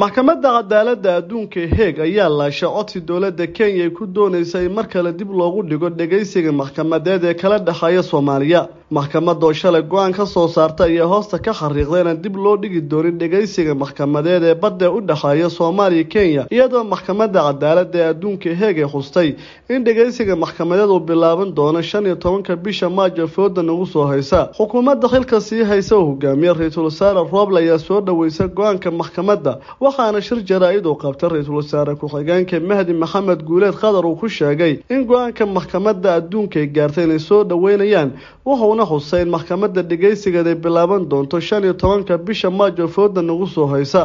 Maxkamadda Cadaaladda Adduunka ee Heeg ayaa laashay codsi dowladda Kenya ay ku doonaysa in mar kale dib loogu dhigo dhageysiga maxkamadeed ee kala dhexeeya Soomaaliya. Maxkamadda oo shalay go'aan ka soo saarta ayaa hoosta ka xariiqday inaan dib loo dhigi doonin dhageysiga maxkamadeed ee badda u dhexeeya Soomaaliya Kenya, iyadoo Maxkamadda Cadaaladda ee Adduunka ee Heeg ay xustay in dhageysiga maxkamadeed uu bilaaban doono 15-ka bisha Maajo fooda nagu soo haysa. Xukuumadda xilka sii haysa oo hogaamiye Ra-iisul Wasaare Roble ayaa soo dhaweysay go'aanka maxkamadda, waxaana shir jaraa'id uu qabtay ra-iisul wasaare ku-xigeenka Mahdi Maxamed Guuleed Khadar uu ku sheegay in go'aanka maxkamadda adduunka ay gaartay inay soo dhaweynayaan, wuxuuna xusay in maxkamadda dhageysigeed ay bilaaban doonto 15-ka bisha Maajo fooda nagu soo haysa.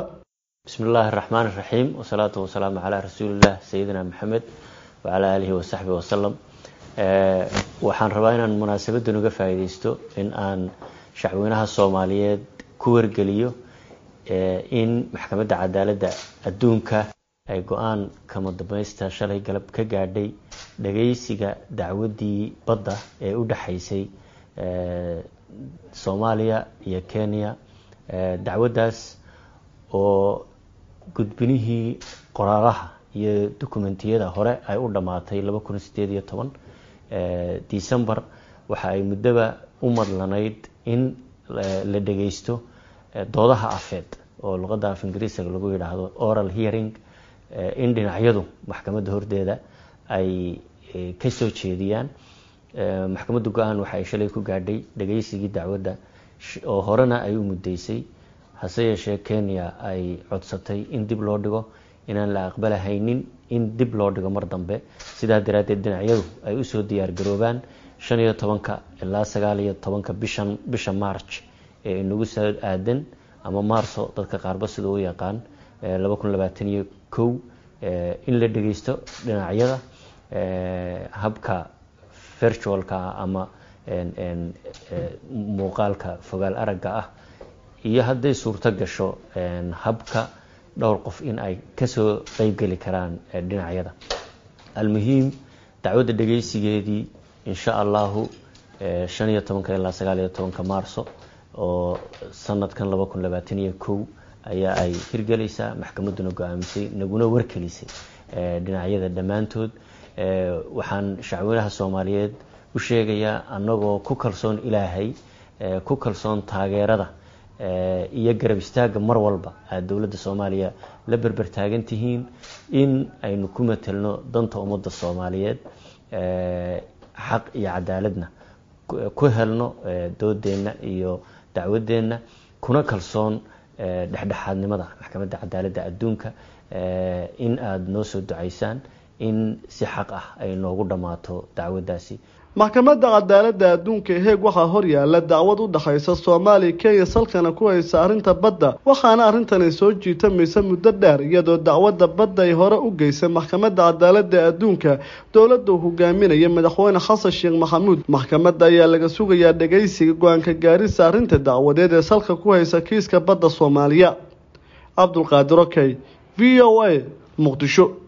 Bismi illaahi araxmaan iraxiim, wasalaatu wasalaamu calaa rasuuliillah sayidina Maxamed wacalaa aalihi wasaxbihi wasalam. Waxaan rabaa inaan munaasabadan uga faa'iideysto in aan shacweynaha Soomaaliyeed ku wargeliyo in Maxkamadda Cadaaladda Adduunka ay go'aan kama dambaysta shalay galab ka gaadhay dhageysiga dacwaddii badda ee u dhexaysay Soomaaliya iyo Kenya, dacwaddaas oo gudbinihii qoraalaha iyo dokumentiyada hore ay u dhammaatay 2018 December. Waxa ay muddoba u madlanayd in la dhageysto doodaha afeed oo luqadda af Ingiriisiga lagu yidhaahdo oral hearing, in dhinacyadu maxkamadda hordeeda ay ka soo jeediyaan. Maxkamaddu go'aan waxa ay shalay ku gaadhay dhageysigii dacwadda oo horena ay u muddeysay, hase yeeshee Kenya ay codsatay in dib loo dhigo, inaan la aqbalahaynin in dib loo dhigo mar dambe. Sidaa daraaddeed dhinacyadu ay usoo diyaar garoobaan 15-ka ilaa 19-ka bishan, bisha March ee inagu soo aadan, ama Maarso dadka qaarba sida u yaqaan, 2021, in la dhageysto dhinacyada habka virtualka ama muuqaalka fogaal aragga ah, iyo hadday suurto gasho habka dhowr qof in ay kasoo qeybgeli karaan dhinacyada. Almuhiim, dacwadda dhageysigeedii insha Allahu 15-ka ilaa 19-ka Maarso oo sanadkan 2021 ayaa ay hirgelaysaa, maxkamadduna go'aamisay naguna warkelisay dhinacyada dhammaantood. Waxaan shacweynaha Soomaaliyeed u sheegayaa, annagoo ku kalsoon Ilaahay, ku kalsoon taageerada iyo garab istaagga mar walba aada dowladda Soomaaliya la berber taagan tihiin, in aynu ku matelno danta ummadda Soomaaliyeed, xaq iyo cadaaladna ku helno doodeenna iyo dacwadeenna, kuna kalsoon dhexdhexaadnimada Maxkamadda Cadaaladda Adduunka, in aada noo soo ducaysaan in si xaq ah ay noogu dhammaato dacwaddaasi. Maxkamadda Cadaaladda Adduunka ee Heeg waxaa hor yaala dacwad u dhexaysa Soomaaliya Kenya, salkana ku haysa arrinta badda, waxaana arrintan ay soo jiitamaysa muddo dheer, iyadoo dacwadda badda ay hore u geysay Maxkamadda Cadaaladda Adduunka dowladda uu hogaaminaya Madaxweyne Xasan Sheekh Maxamuud. Maxkamadda ayaa laga sugayaa dhageysiga go'aanka gaarisa arrinta dacwadeed ee salka ku haysa kiiska badda Soomaaliya. Cabdulqaadir Okey, VOA, Muqdisho.